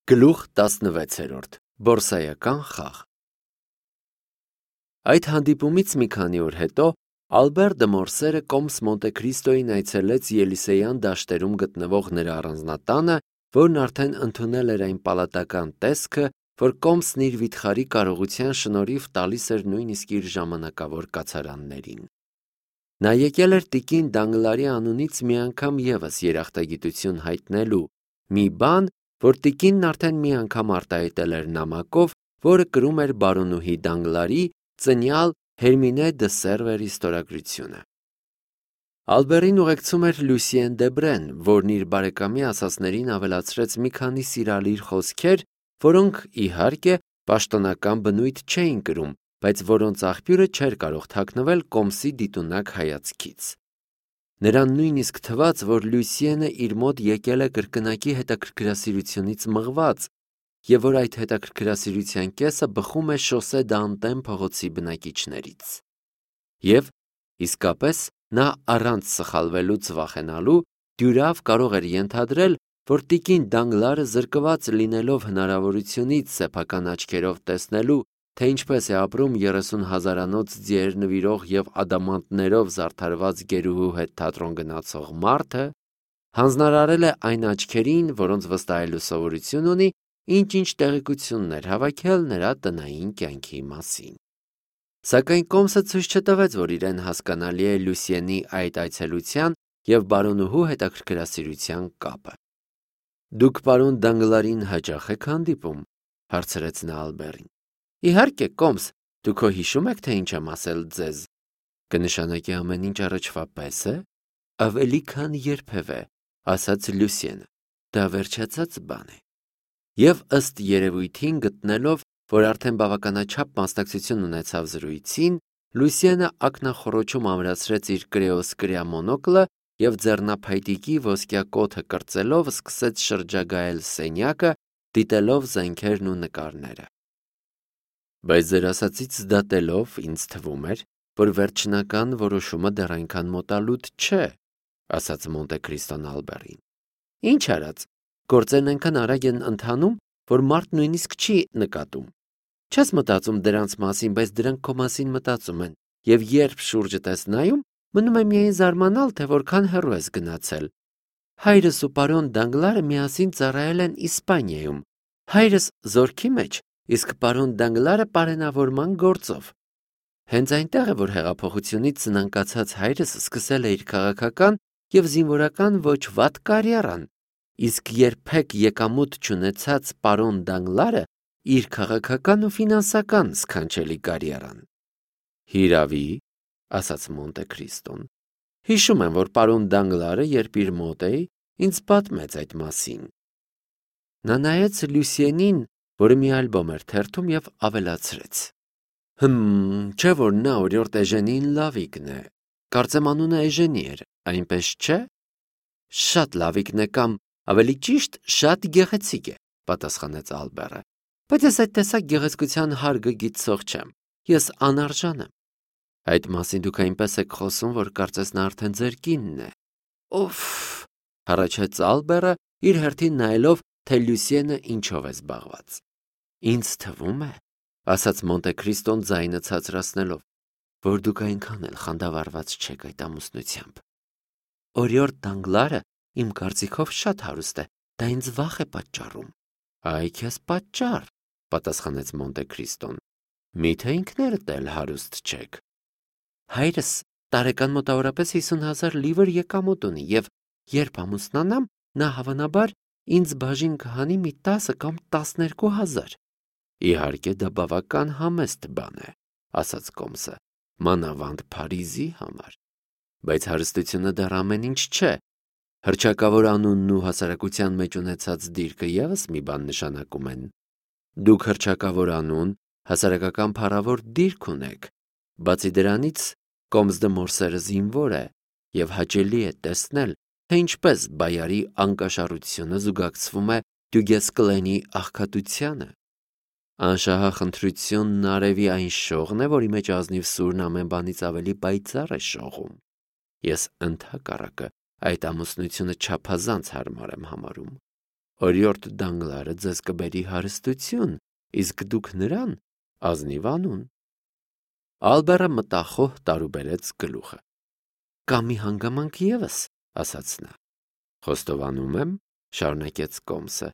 Գլուխ 16 Բորսայական խաղ Այդ հանդիպումից մի քանի օր հետո Ալբեր դը Մորսերը կոմս Մոնտե Քրիստոյին այցելեց Ելիսեյան դաշտերում գտնվող նրա առանձնատանը, որն արդեն ընդունել էր այն պալատական տեսքը, որ կոմսն իր վիթխարի կարողության շնորհիվ տալիս էր նույնիսկ իր ժամանակավոր կացարաններին։ Նա եկել էր տիկին Դանգլարի անունից մի անգամ ևս երախտագիտություն հայտնելու, մի բան, որ տիկինն արդեն մի անգամ արտահայտել էր նամակով, որը կրում էր բարոնուհի Դանգլարի ծնյալ Հերմինե դը Սերվերի ստորագրությունը։ Ալբերին ուղեկցում էր Լուսիեն Դեբրեն, որն իր բարեկամի ասածներին ավելացրեց մի քանի սիրալիր խոսքեր, որոնք, իհարկե, պաշտոնական բնույթ չէին կրում, բայց որոնց աղբյուրը չէր կարող թաքնվել կոմսի դիտունակ հայացքից։ Նրան նույնիսկ թվաց, որ Լուսիենը իր մոտ եկել է կրկնակի հետաքրքրասիրությունից մղված, և որ այդ հետաքրքրասիրության կեսը բխում է Շոսե դ'Անտեն փողոցի բնակիչներից։ Եվ, իսկապես, նա առանց սխալվելուց վախենալու դյուրավ կարող էր ենթադրել, որ տիկին Դանգլարը զրկված լինելով հնարավորությունից սեփական աչքերով տեսնելու, թե ինչպես է ապրում 30,000-անոց ձիեր նվիրող և ադամանդներով զարդարված գերուհու հետ թատրոն գնացող մարդը, հանձնարարել է այն աչքերին, որոնց վստահելու սովորություն ունի, ինչ-ինչ տեղեկություններ հավաքել նրա տնային կյանքի մասին։ Սակայն կոմսը ցույց չտվեց, որ իրեն հասկանալի է Լուսիենի այդ այցելության և բարոնուհու հետաքրքրասիրության կապը։ «Դուք պարոն Դանգլարին հաճախ եք հանդիպում», հարցրեց նա Ալբերին։ «Իհարկե, կոմս, դուք քո հիշում եք, թե ինչ եմ ասել ձեզ։ Կնշանակի ամեն ինչ առաջվա պես է»։ «Ավելի քան երբևէ», ասաց Լուսիենը։ «Դա վերջացած բան է»։ Եվ ըստ երևույթին գտնելով, որ արդեն բավականաչափ մասնակցություն ունեցավ զրույցին, Լուսիենը ակնախոռոչում ամրացրեց իր կրեոսկրյա մոնոկլը և ձեռնափայտիկի ոսկյա կոթը կրծելով սկսեց շրջագայել սենյակը, դիտելով զենքերն ու նկարները։ «Բայց ձեր ասածից դատելով, ինձ թվում էր, որ վերջնական որոշումը դեռ այնքան մոտալուտ չէ», ասաց Մոնտե Քրիստոն Ալբերին։ «Ինչ արած, գործերն այնքան արագ են ընթանում, որ մարդ նույնիսկ չի նկատում։ Չես մտածում դրանց մասին, բայց դրանք քո մասին մտածում են, և երբ շուրջդ ես նայում, մնում է միայն զարմանալ, թե որքան հեռու ես գնացել։ Հայրս ու պարոն Դանգլարը միասին ծառայել են Իսպանիայում։ Հայրս զորքի մեջ, իսկ պարոն Դանգլարը պարենավորման գործով։ Հենց այնտեղ է, որ հեղափոխությունից սնանկացած հայրս սկսել է իր քաղաքական և զինվորական ոչ վատ կարիերան, իսկ երբեք եկամուտ չունեցած պարոն Դանգլարը իր քաղաքական ու ֆինանսական սքանչելի կարիերան»։ «Հիրավի», ասաց Մոնտե Քրիստոն։ «Հիշում եմ, որ պարոն Դանգլարը, երբ իր մոտ էի, ինձ պատմեց այդ մասին»։ Նա նայեց Լուսիենին, որը մի ալբոմ էր թերթում, և ավելացրեց. Չէ՞ որ նա օրիորդ Էժենին Լավիկն է։ Կարծեմ անունը Էժենի էր, այնպես չէ՞։ Շատ լավիկն է կամ, ավելի ճիշտ, շատ գեղեցիկ է, պատասխանեց Ալբերը։ Բայց ես այդ տեսակ գեղեցկության հարգը գիտցող չեմ։ Ես անարժան եմ։ Այդ մասին դուք այնպես եք խոսում, որ կարծես նա արդեն ձեր կինն է։ Օֆ, հառաչեց Ալբերը, իր հերթին նայելով, թե Լուսիենը ինչով է զբաղված։ Ինձ թվում է, ասաց Մոնտե Քրիստոն ձայնը ցածրացնելով, որ դուք այնքան էլ խանդավառված չեք այդ ամուսնությամբ։ Օրիորդ Դանգլարը իմ կարծիքով շատ հարուստ է, դա ինձ վախ է պատճառում։ Այ քեզ պատճառ, պատասխանեց Մոնտե Քրիստոն։ Միթե ինքներդ էլ հարուստ չեք։ Հայրս տարեկան մոտավորապես 50,000 լիվր եկամուտ ունի, և երբ ամուսնանամ, նա հավանաբար ինձ բաժին կհանի մի 10 կամ 12,000։ Իհարկե դա բավական համեստ բան է, ասաց կոմսը, մանավանդ Փարիզի համար։ Բայց հարստությունը դեռ ամեն ինչ չէ։ Հռչակավոր անունն ու հասարակության մեջ ունեցած դիրքը ևս մի բան նշանակում են։ Դուք հռչակավոր անուն, հասարակական փառավոր դիրք ունեք։ Բացի դրանից, կոմս դը Մորսերը զինվոր է, և հաճելի է տեսնել, թե ինչպես բայարի անկաշառությունը զուգակցվում է Դյուգեսկլենի աղքատությանը։ Անշահախնդրությունն արևի այն շողն է, որի մեջ ազնիվ սուրն ամեն բանից ավելի պայծառ է շողում։ Ես ընդհակառակը այդ ամուսնությունը չափազանց հարմար եմ համարում։ օրիորդ դանգլարը ձեզ կբերի հարստություն, իսկ դուք նրան ազնիվ անուն։ Ալբերը մտախոհ տարուբերեց գլուխը։ Կա մի հանգամանք ևս, ասաց նա։ Խոստովանում եմ, շարունակեց Կոմսը,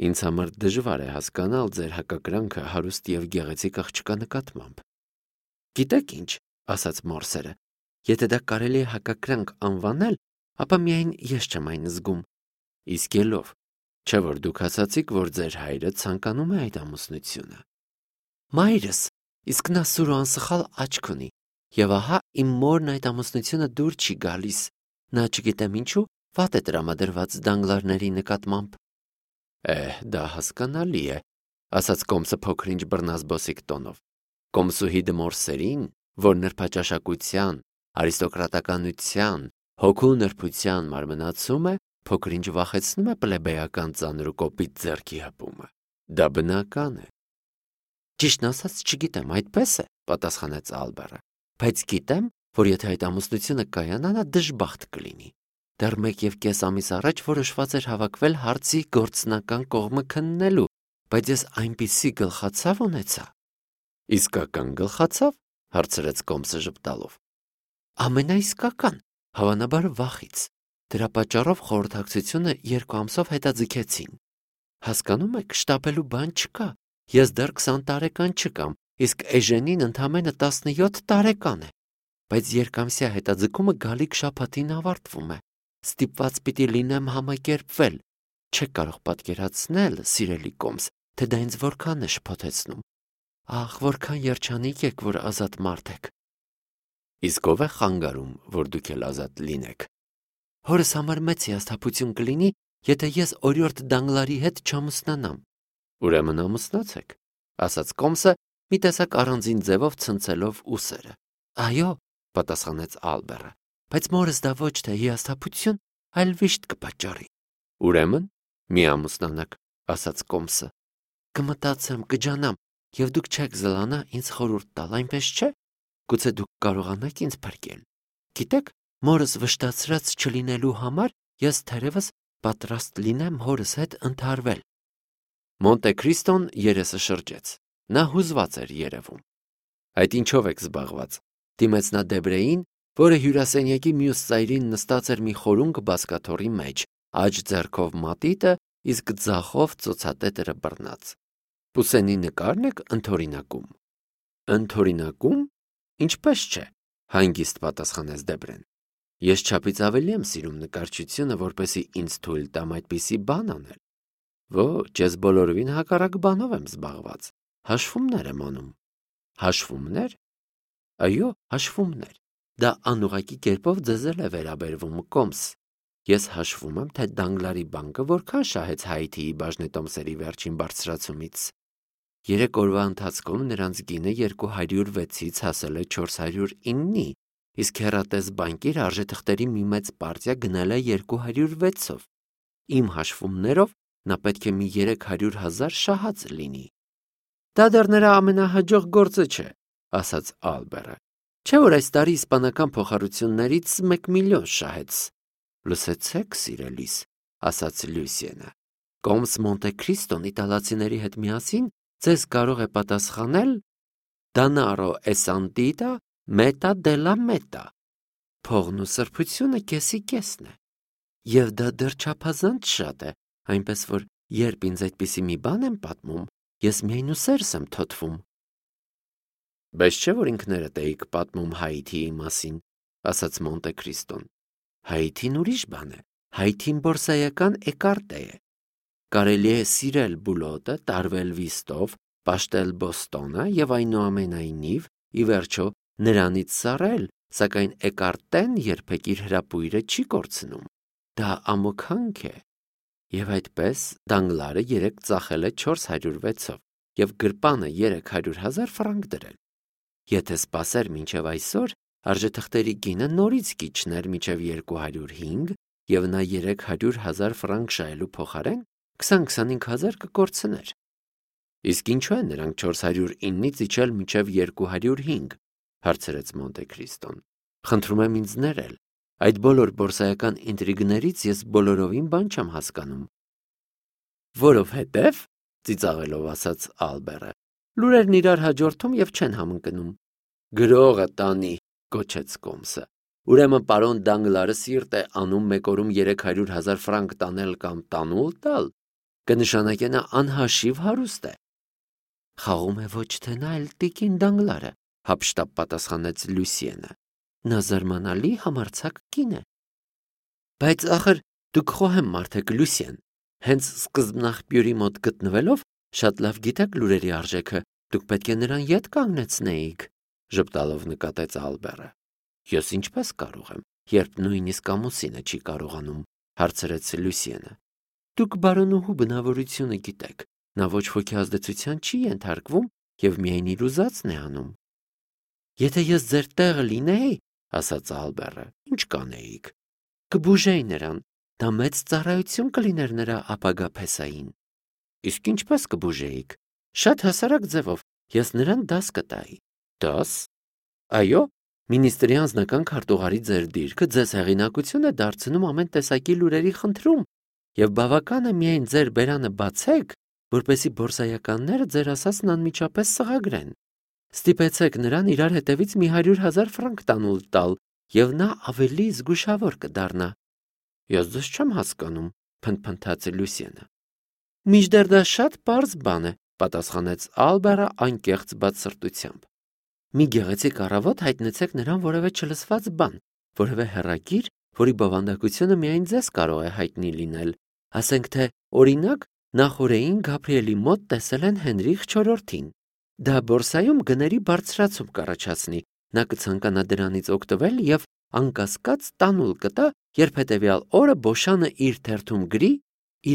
ինձ համար դժվար է հասկանալ ձեր հակակրանքը հարուստ եւ գեղեցիկ աղջկա նկատմամբ։ Գիտեք ինչ, ասաց Մորսերը, եթե դա կարելի է հակակրանք անվանել, ապա միայն ես չեմ այն զգում։ Իսկ ելով, չէ՞ որ դուք ասացիք, որ ձեր հայրը ցանկանում է այդ ամուսնությունը։ Մայրս, իսկ նա սուր ու անսխալ աչք ունի, եւ ահա իմ մորն այդ ամուսնությունը դուր չի գալիս։ Նա չգիտեմ ինչու վատ է տրամադրված դանգլարների նկատմամբ։ Դա հասկանալի է, ասաց Կոմսը փոքր-ինչ բռնազբոսիկ տոնով։ Կոմսուհի Դմորսերին, որ նրբաճաշակության, արիստոկրատականության, հոգու նրբության մարմնացում է, փոքր-ինչ վախեցնում է պլեբեյական ծանր ու կոպիտ ձեռքի հպումը։ Դա բնական է։ Ճիշտն ասած, չգիտեմ, այդպես է, պատասխանեց Ալբերը, բայց գիտեմ, որ եթե այդ ամուսնությունը կայանա, նա դժբախտ կլինի։ Դեռ 1.5 ամիս առաջ որոշված էր հավաքվել հարցի գործնական կողմը քննելու, բայց ես այնպիսի գլխացավ ունեցա։ Իսկական գլխացավ, հարցրեց Կոմսը ժպտալով։ Ամենաիսկական, հավանաբար վախից։ Դրա պատճառով խորհրդակցությունը 2 ամսով հետաձգեցին։ Հասկանում եք, շտապելու բան չկա։ Ես դեռ 20 տարեկան չկամ, իսկ Էժենին ընդամենը 17 տարեկան է։ Բայց երկամսյա հետաձգումը գալիք շաբաթին ավարտվում է։ Ստիպված պիտի լինեմ համակերպվել։ Չեք կարող պատկերացնել, սիրելի Կոմս, թե դա ինձ որքան է շփոթեցնում։ Ախ, որքան երջանիկ եք, որ ազատ մարդ եք։ Իսկ ով է խանգարում, որ դուք էլ ազատ լինեք։ Հորս համար մեծ հիասթափություն կլինի, եթե ես օրիորդ Դանգլարի հետ չամուսնանամ։ Ուրեմն ամուսնացեք, ասաց Կոմսը, մի տեսակ առանձին ձևով ցնցելով ուսերը։ Այո, պատասխանեց Ալբերը, բայց մորս դա ոչ թե հիասթափություն, այլ վիշտ կպատճառի։ Ուրեմն մի ամուսնանաք, ասաց Կոմսը։ Կմտածեմ, կջանամ, եւ դուք չեք զլանա ինձ խորհուրդ տալ, այնպես չէ։ Գուցե դուք կարողանաք ինձ փրկել։ Գիտեք, մորս վշտացրած չլինելու համար ես թերևս պատրաստ լինեմ հորս հետ ընդհարվել։ Մոնտե Քրիստոն երեսը շրջեց։ Նա հուզված էր երևում։ Այդ ինչով եք զբաղված։ Դիմեց նա Դեբրեին, որը հյուրասենյակի մյուս ծայրին նստած էր մի խորունկ բազկաթոռի մեջ, աջ ձեռքով մատիտը, իսկ ձախով ծոցատետերը բռնած։ Պուսենի նկարն եք ընդօրինակում։ Ընդօրինակում։ Ինչպես չէ, հանգիստ պատասխանեց Դեբրեն։ Ես չափից ավելի եմ սիրում նկարչությունը, որպեսզի ինձ թույլ տամ այդպիսի բան անել։ Ոչ, ես բոլորովին հակառակ բանով եմ զբաղված։ Հաշվումներ եմ անում։ Հաշվումներ։ Այո, հաշվումներ։ Դա անուղղակի կերպով ձեզ էլ է վերաբերվում, Կոմս։ Ես հաշվում եմ, թե Դանգլարի բանկը որքան շահեց Հայիթիի բաժնետոմսերի վերջին բարձրացումից։ 3 օրվա ընթացքում նրանց գինը 206-ից հասել է 409-ի, իսկ հեռատես բանկիր արժեթղթերի մի մեծ պարտիա գնել է 206-ով։ Իմ հաշվումներով նա պետք է մի 300,000 շահած լինի։ Դա դեռ նրա ամենահաջող գործը չէ, ասաց Ալբերը։ Չէ՞ որ այս տարի իսպանական փոխառություններից 1 միլիոն շահեց։ Լսեցեք, սիրելիս, ասաց Լյուսիենը։ Կոմս Մոնտե Քրիստոն իտալացիների հետ միասին ձեզ կարող է պատասխանել Danaro e santità metà della metà։ Փողն ու սրբությունը կեսի կեսն է։ Եվ դա դեռ չափազանց շատ է, այնպես որ երբ ինձ այդպիսի մի բան եմ պատմում, ես միայն ուսերս եմ թոթվում։ Բայց չէ՞ որ ինքներդ էիք պատմում Հայիթիի մասին, ասաց Մոնտե Քրիստոն։ Հայիթին ուրիշ բան է, Հայիթին բորսայական էկարտե է։ Կարելի է սիրել բուլոտը, տարվել վիստով, պաշտել Բոստոնը եւ այնուամենայնիվ, ի վերջո, նրանից սառել, սակայն էկարտեն երբեք իր հրապույրը չի կորցնում։ Դա ամոքանք է։ Եվ այդպես Դանգլարը 3 ծախել է 406-ով եւ գրպանը 300,000 ֆրանկ դրել։ Եթե սպասեր մինչև այսօր, արժեթղթերի գինը նորից կիջներ մինչև 205 եւ նա 300,000 ֆրանկ շահելու փոխարեն 20-25,000 կկորցներ։ Իսկ ինչու է նրանք 409-ից իջել մինչև 205, հարցրեց Մոնտե Քրիստոն։ Խնդրում եմ ինձ ներել։ Այդ բոլոր բորսայական ինտրիգներից ես բոլորովին բան չեմ հասկանում։ Որովհետև, ծիծաղելով ասաց Ալբերը, լուրերն իրար հաջորդում եւ չեն համընկնում։ Գրողը տանի, գոչեց Կոմսը։ Ուրեմն պարոն Դանգլարը սիրտ է անում մեկ օրում 300,000 ֆրանկ տանել կամ տանուլ տալ, կնշանակե նա անհաշիվ հարուստ է։ Խաղում է ոչ թե նա, այլ տիկին Դանգլարը, հափշտապ պատասխանեց Լուսիենը։ Նա զարմանալի համարձակ կին է։ Բայց ախր դուք խոհեմ մարդ եք, Լուսիեն, հենց սկզբնաղբյուրի մոտ գտնվելով շատ լավ գիտեք լուրերի արժեքը, դուք պետք է նրան ետ կանգնեցնեիք, ժպտալով նկատեց Ալբերը։ Ես ինչպես կարող եմ, երբ նույնիսկ ամուսինը չի կարողանում, հարցրեց Լուսիենը։ Դուք բարոնուհու բնավորությունը գիտեք, նա ոչ ոքի ազդեցության չի ենթարկվում եւ միայն իր ուզածն է անում։ Եթե ես ձեր տեղը լինեի, ասաց Ալբերը, ինչ կանեիք։ Կբուժեի նրան, դա մեծ ծառայություն կլիներ նրա ապագա փեսային։ Իսկ ինչպես կբուժեիք։ Շատ հասարակ ձևով, ես նրան դաս կտայի։ Դաս։ Այո, Մինիստրի անձնական քարտուղարի ձեր դիրքը ձեզ հեղինակություն է դարձնում ամեն տեսակի լուրերի խնդրում, եւ բավական է միայն ձեր բերանը բացեք, որպեսզի բորսայականները ձեր ասածն անմիջապես սղագրեն։ Ստիպեցեք նրան իրար հետևից մի 100,000 ֆրանկ տանուլ տալ, եւ նա ավելի զգուշավոր կդառնա։ Ես ձեզ չեմ հասկանում, փնթփնթաց Լուսիենը։ Մինչդեռ դա շատ պարզ բան է, պատասխանեց Ալբերը անկեղծ բացսրտությամբ։ Մի գեղեցիկ առավոտ հայտնեցեք նրան որևէ չլսված բան, որևէ հեռագիր, որի բովանդակությունը միայն ձեզ կարող է հայտնի լինել։ Ասենք թե, օրինակ, նախօրեին Գաբրիելի մոտ տեսել են Հենրիխ IV-ին։ Դա բորսայում գների բարձրացում կառաջացնի։ Նա կցանկանա դրանից օգտվել եւ անկասկած տանուլ կտա, երբ հետեւյալ օրը Բոշանը իր թերթում գրի,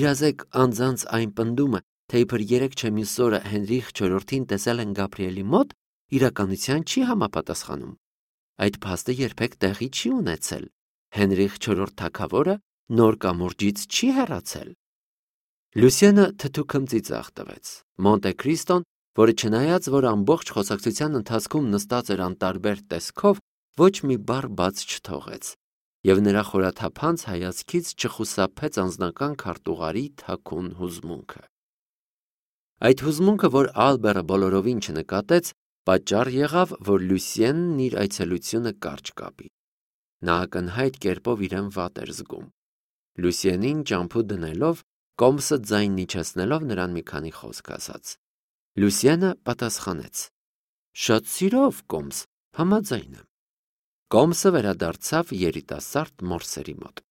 իրազեկ անձանց այն պնդումը, թե իբր 3 չէ մյուս օրը Հենրիխ IV-ին տեսել են Գաբրիելի մոտ, իրականության չի համապատասխանում։ Այդ փաստը երբեք տեղի չի ունեցել։ Հենրիխ IV թագավորը նոր կամուրջից չի հեռացել։ Լուսիենը թթուքըմ ծիծաղ տվեց։ Մոնտե Քրիստոն, որը չնայած որ ամբողջ խոսակցության ընթացքում նստած էր անտարբեր տեսքով, ոչ մի բառ բաց չթողեց, եւ նրա խորաթափանց հայացքից չխուսափեց անձնական քարտուղարի թաքուն հուզմունքը։ Այդ հուզմունքը, որ Ալբերը բոլորովին չնկատեց, պատճառ եղավ, որ Լուսիենն իր այցելությունը կարճ կապի։ Նա ակնհայտ կերպով իրեն վատ էր զգում։ Լուսիենին ճամփու դնելով, Կոմսը ձայն իջեցնելով նրան մի քանի խոսք ասաց։ Լուսիենը պատասխանեց. Շատ սիրով, Կոմս, համաձայն եմ։ Կոմսը վերադարձավ երիտասարդ մորսերի մոտ։